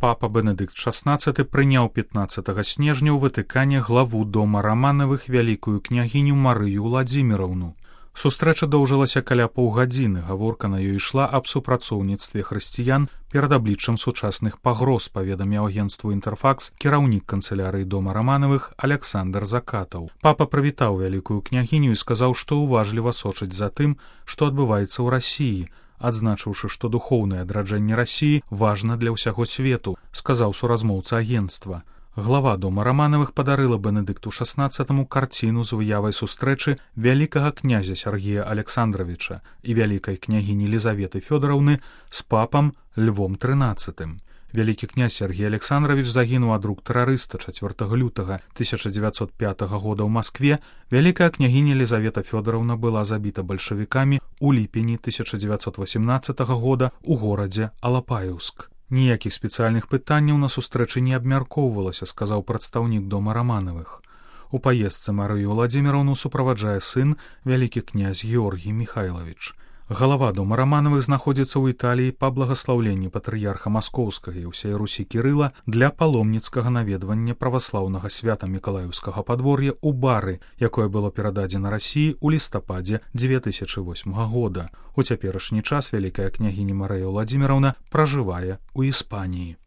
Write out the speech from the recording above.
Папа Бенедыкт XVI прыняў 15 снежня ў Ватыкане главу дома Раманавых вялікую княгіню Марыю Ўладзіміраўну. Сустрэча доўжылася каля паўгадзіны, гаворка на ёй ішла аб супрацоўніцтве хрысціян перад абліччам сучасных пагроз, паведаміў агенцтву «Інтэрфакс» кіраўнік канцылярыі дома Раманавых Аляксандр Закатаў. Папа прывітаў вялікую княгіню і сказаў, што ўважліва сочыць за тым, што адбываецца ў Расіі, адзначыўшы, што духоўнае адраджэнне Расіі важна для ўсяго свету, сказаў суразмоўца агенцтва. Глава дома Раманавых падарыла Бенедыкту XVI карціну з выявай сустрэчы вялікага князя Сергея Александровича і вялікай княгіні Лізаветы Фёдораўны з папам Львом XIII. Вялікі князь Сергей Александрович загінуў ад рук тэрарыста 4 лютага 1905 года ў Маскве. Вялікая княгіня Лізавета Фёдораўна была забіта бальшавікамі ў ліпені 1918 года ў горадзе Алапаеўск. Ніякіх спецыяльных пытанняў на сустрэчы не абмяркоўвалася, сказаў прадстаўнік дома Раманавых. У паездцы Марыю Ўладзіміраўну суправаджае сын, вялікі князь Георгій Міхайлавіч. Галава дома Раманавых знаходзіцца ў Італіі па благаслаўленні патрыярха Маскоўскага і ўсей Русі Кірыла для паломніцкага наведвання праваслаўнага свята Мікалаеўскага падвор'я ў Бары, якое было перададзена Расіі ў лістападзе 2008 года. У цяперашні час вялікая княгіня Марыя Ўладзіміраўна пражывае ў Іспаніі.